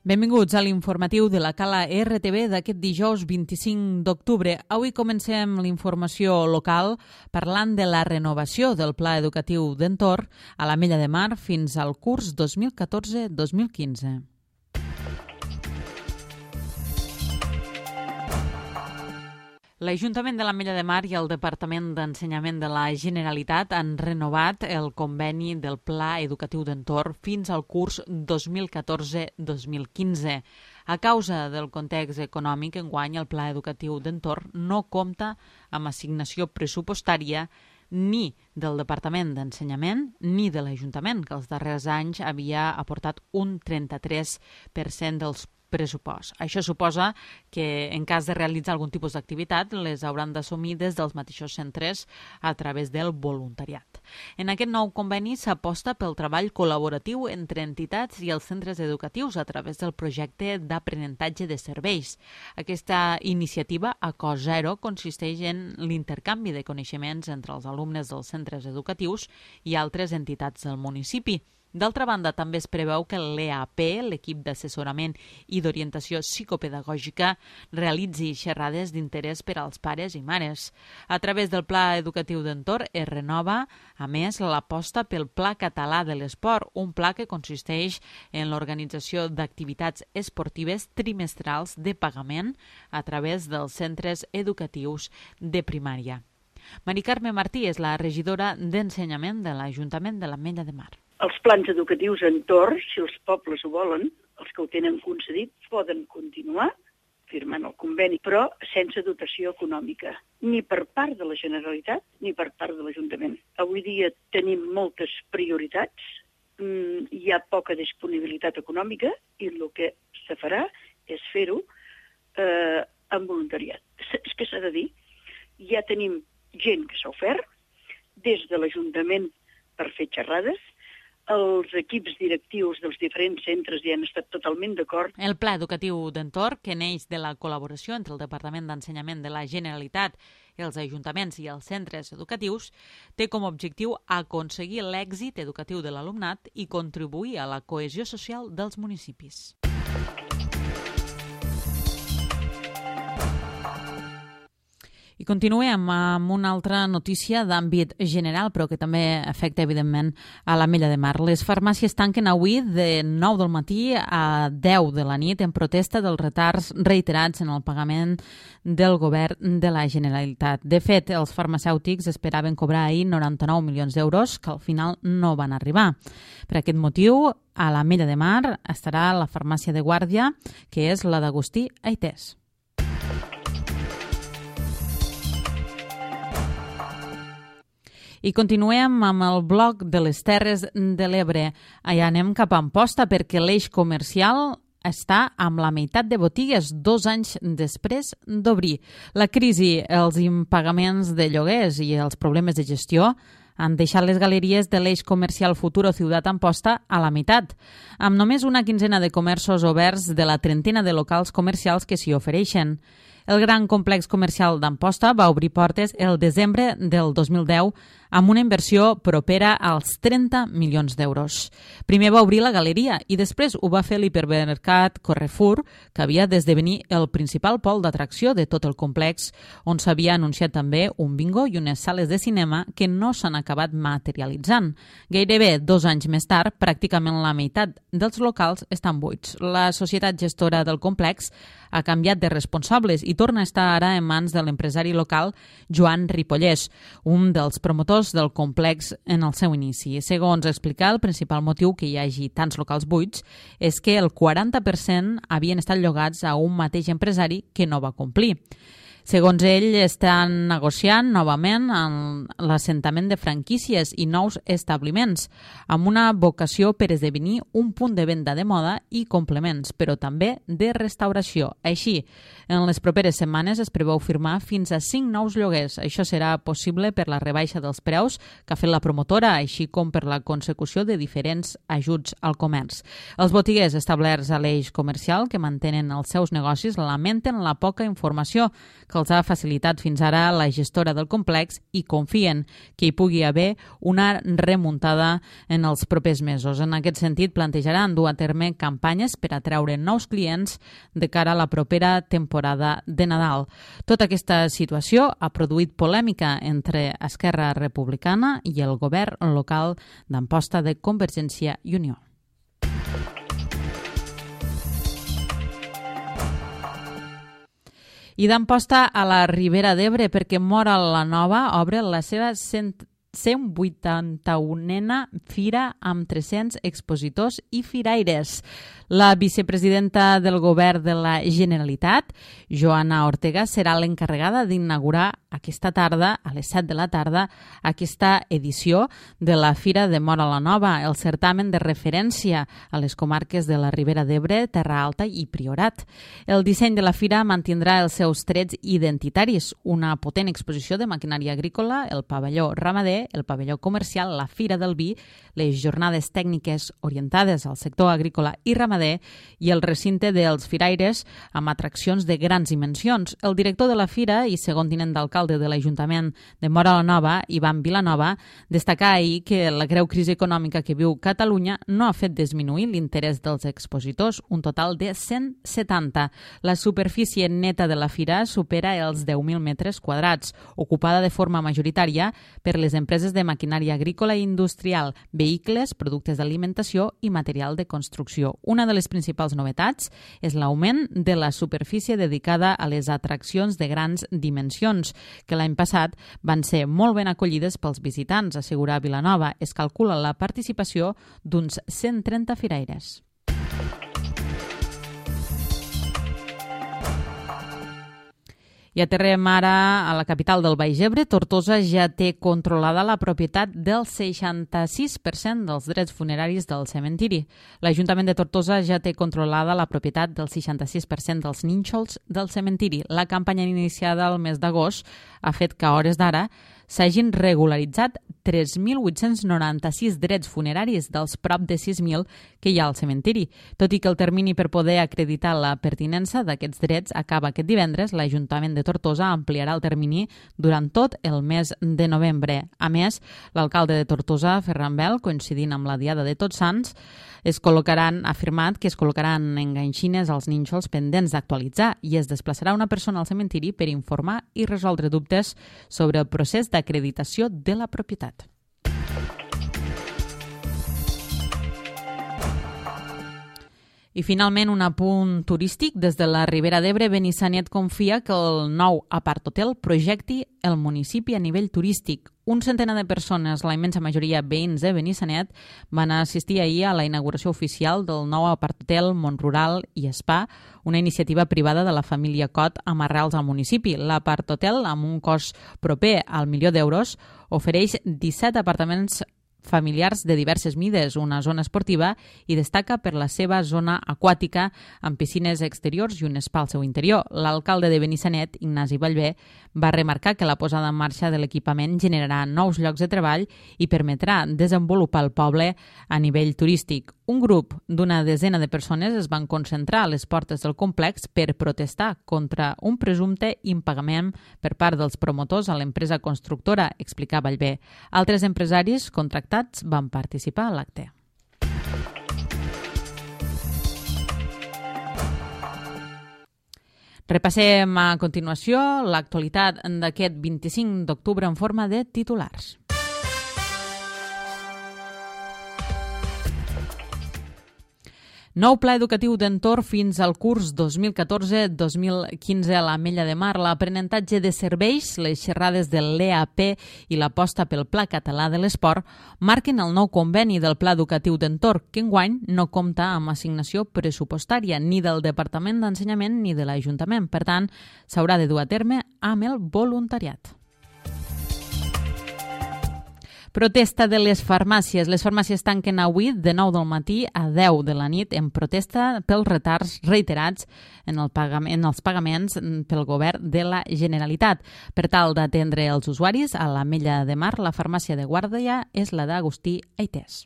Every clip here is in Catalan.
Benvinguts a l'informatiu de la Cala RTV d'aquest dijous 25 d'octubre. Avui comencem l'informació local parlant de la renovació del Pla Educatiu d'Entorn a l'Ametlla de Mar fins al curs 2014-2015. L'Ajuntament de l'Ametlla de Mar i el Departament d'Ensenyament de la Generalitat han renovat el conveni del Pla Educatiu d'Entorn fins al curs 2014-2015. A causa del context econòmic, enguany el Pla Educatiu d'Entorn no compta amb assignació pressupostària ni del Departament d'Ensenyament ni de l'Ajuntament, que els darrers anys havia aportat un 33% dels pressupost. Això suposa que en cas de realitzar algun tipus d'activitat les hauran d'assumir des dels mateixos centres a través del voluntariat. En aquest nou conveni s'aposta pel treball col·laboratiu entre entitats i els centres educatius a través del projecte d'aprenentatge de serveis. Aquesta iniciativa a cost zero consisteix en l'intercanvi de coneixements entre els alumnes dels centres educatius i altres entitats del municipi. D'altra banda, també es preveu que l'EAP, l'equip d'assessorament i d'orientació psicopedagògica, realitzi xerrades d'interès per als pares i mares. A través del Pla Educatiu d'Entorn es renova, a més, l'aposta pel Pla Català de l'Esport, un pla que consisteix en l'organització d'activitats esportives trimestrals de pagament a través dels centres educatius de primària. Mari Carme Martí és la regidora d'Ensenyament de l'Ajuntament de l'Ametlla de Mar. Els plans educatius entorn, si els pobles ho volen, els que ho tenen concedit, poden continuar firmant el conveni, però sense dotació econòmica, ni per part de la Generalitat ni per part de l'Ajuntament. Avui dia tenim moltes prioritats, hi ha poca disponibilitat econòmica i el que se farà és fer-ho amb voluntariat. És que s'ha de dir, ja tenim gent que s'ha ofert des de l'Ajuntament per fer xerrades. Els equips directius dels diferents centres hi han estat totalment d'acord. El Pla Educatiu d'Entorn, que neix de la col·laboració entre el Departament d'Ensenyament de la Generalitat, els ajuntaments i els centres educatius, té com a objectiu aconseguir l'èxit educatiu de l'alumnat i contribuir a la cohesió social dels municipis. I continuem amb una altra notícia d'àmbit general, però que també afecta, evidentment, a l'Ametlla de Mar. Les farmàcies tanquen avui de 9 del matí a 10 de la nit en protesta dels retards reiterats en el pagament del govern de la Generalitat. De fet, els farmacèutics esperaven cobrar ahir 99 milions d'euros, que al final no van arribar. Per aquest motiu, a l'Ametlla de Mar estarà la farmàcia de guàrdia, que és la d'Agustí Aitès. I continuem amb el bloc de les Terres de l'Ebre. Allà anem cap a Amposta perquè l'eix comercial està amb la meitat de botigues 2 anys després d'obrir. La crisi, els impagaments de lloguers i els problemes de gestió han deixat les galeries de l'eix comercial Futuro Ciutat Amposta a la meitat, amb només una quinzena de comerços oberts de la trentena de locals comercials que s'hi ofereixen. El gran complex comercial d'Amposta va obrir portes el desembre del 2010 amb una inversió propera als 30 milions d'euros. Primer va obrir la galeria i després ho va fer l'hipermercat Carrefour, que havia d'esdevenir el principal pol d'atracció de tot el complex, on s'havia anunciat també un bingo i unes sales de cinema que no s'han acabat materialitzant. Gairebé 2 anys més tard, pràcticament la meitat dels locals estan buits. La societat gestora del complex ha canviat de responsables i torna a estar ara en mans de l'empresari local Joan Ripollès, un dels promotors del complex en el seu inici. Segons explicar, el principal motiu que hi hagi tants locals buits és que el 40% havien estat llogats a un mateix empresari que no va complir. Segons ell, estan negociant novament l'assentament de franquícies i nous establiments, amb una vocació per esdevenir un punt de venda de moda i complements, però també de restauració. Així, en les properes setmanes es preveu firmar fins a 5 nous lloguers. Això serà possible per la rebaixa dels preus que ha fet la promotora, així com per la consecució de diferents ajuts al comerç. Els botiguers establerts a l'eix comercial que mantenen els seus negocis lamenten la poca informació que que els ha facilitat fins ara la gestora del complex i confien que hi pugui haver una remuntada en els propers mesos. En aquest sentit, plantejaran dur a terme campanyes per atreure nous clients de cara a la propera temporada de Nadal. Tota aquesta situació ha produït polèmica entre Esquerra Republicana i el govern local d'Amposta de Convergència i Unió. I d'Amposta a la Ribera d'Ebre, perquè Móra la Nova obre la seva 181a fira amb 300 expositors i firaires. La vicepresidenta del govern de la Generalitat, Joana Ortega, serà l'encarregada d'inaugurar aquesta tarda, a les 7 de la tarda, aquesta edició de la Fira de Móra la Nova, el certamen de referència a les comarques de la Ribera d'Ebre, Terra Alta i Priorat. El disseny de la fira mantindrà els seus trets identitaris, una potent exposició de maquinària agrícola, el pavelló ramader, el pavelló comercial, la Fira del Vi, les jornades tècniques orientades al sector agrícola i ramader i el recinte dels firaires amb atraccions de grans dimensions. El director de la fira i segon tinent d'alcalde de l'Ajuntament de Móra la Nova, Ivan Vilanova, destacà ahir que la greu crisi econòmica que viu Catalunya no ha fet disminuir l'interès dels expositors, un total de 170. La superfície neta de la fira supera els 10.000 metres quadrats, ocupada de forma majoritària per les empreses de maquinària agrícola i industrial, vehicles, productes d'alimentació i material de construcció. Una de les principals novetats és l'augment de la superfície dedicada a les atraccions de grans dimensions, que l'any passat van ser molt ben acollides pels visitants, assegura Vilanova. Es calcula la participació d'uns 130 firaires. I aterrem ara a la capital del Baix Ebre. Tortosa ja té controlada la propietat del 66% dels drets funeraris del cementiri. L'Ajuntament de Tortosa ja té controlada la propietat del 66% dels nínxols del cementiri. La campanya iniciada el mes d'agost ha fet que a hores d'ara s'hagin regularitzat 3.896 drets funeraris dels prop de 6.000 que hi ha al cementiri. Tot i que el termini per poder acreditar la pertinença d'aquests drets acaba aquest divendres, l'Ajuntament de Tortosa ampliarà el termini durant tot el mes de novembre. A més, l'alcalde de Tortosa, Ferran Bel, coincidint amb la Diada de Tots Sants, ha afirmat que es col·locaran enganxines als nínxols pendents d'actualitzar i es desplaçarà una persona al cementiri per informar i resoldre dubtes sobre el procés d'acreditació de la propietat. I finalment un apunt turístic. Des de la Ribera d'Ebre, Benissanet confia que el nou apart-hotel projecti el municipi a nivell turístic. Un centenar de persones, la immensa majoria veïns de Benissanet, van assistir ahir a la inauguració oficial del nou apart-hotel Montrural i Spa, una iniciativa privada de la família Cot amb arrels al municipi. L'apart-hotel, amb un cost proper al €1.000.000, ofereix 17 apartaments familiars de diverses mides, una zona esportiva i destaca per la seva zona aquàtica amb piscines exteriors i un spa al seu interior. L'alcalde de Benissanet, Ignasi Ballbé, va remarcar que la posada en marxa de l'equipament generarà nous llocs de treball i permetrà desenvolupar el poble a nivell turístic. Un grup d'una desena de persones es van concentrar a les portes del complex per protestar contra un presumpte impagament per part dels promotors a l'empresa constructora, explicava Ballbé. Altres empresaris contractats van participar a l'acte. Repassem a continuació l'actualitat d'aquest 25 d'octubre en forma de titulars. Nou pla educatiu d'entorn fins al curs 2014-2015 a l'Ametlla de Mar, l'aprenentatge de serveis, les xerrades de l'EAP i l'aposta pel Pla Català de l'Esport marquen el nou conveni del Pla Educatiu d'Entorn, que enguany no compta amb assignació pressupostària ni del Departament d'Ensenyament ni de l'Ajuntament. Per tant, s'haurà de dur a terme amb el voluntariat. Protesta de les farmàcies. Les farmàcies tanquen avui de 9 del matí a 10 de la nit en protesta pels retards reiterats en els pagaments pel govern de la Generalitat. Per tal d'atendre els usuaris, a l'Ametlla de Mar, la farmàcia de guàrdia és la d'Agustí Aitès.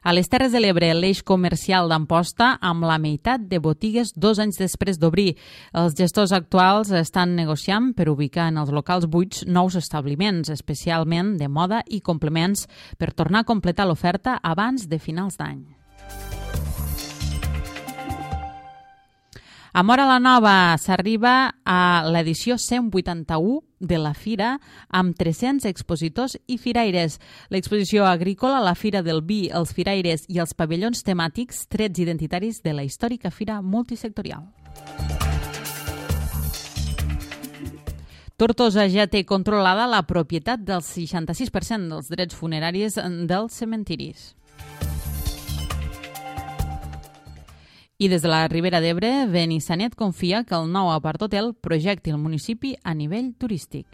A les Terres de l'Ebre, l'eix comercial d'Amposta amb la meitat de botigues 2 anys després d'obrir. Els gestors actuals estan negociant per ubicar en els locals buits nous establiments, especialment de moda i complements, per tornar a completar l'oferta abans de finals d'any. A Móra la Nova s'arriba a l'edició 181 de la Fira amb 300 expositors i firaires. L'exposició agrícola, la Fira del Vi, els firaires i els pavellons temàtics, trets identitaris de la històrica fira multisectorial. Tortosa ja té controlada la propietat del 66% dels drets funeraris dels cementiris. I des de la Ribera d'Ebre, Benissanet confia que el nou apart-hotel projecti el municipi a nivell turístic.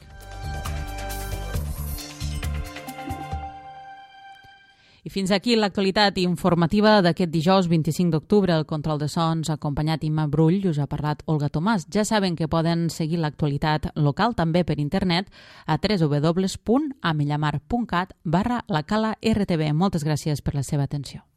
I fins aquí l'actualitat informativa d'aquest dijous 25 d'octubre. El control de sons acompanyat Imma Brull i us ha parlat Olga Tomàs. Ja saben que poden seguir l'actualitat local també per internet a www.amellamar.cat/lacala RTV. Moltes gràcies per la seva atenció.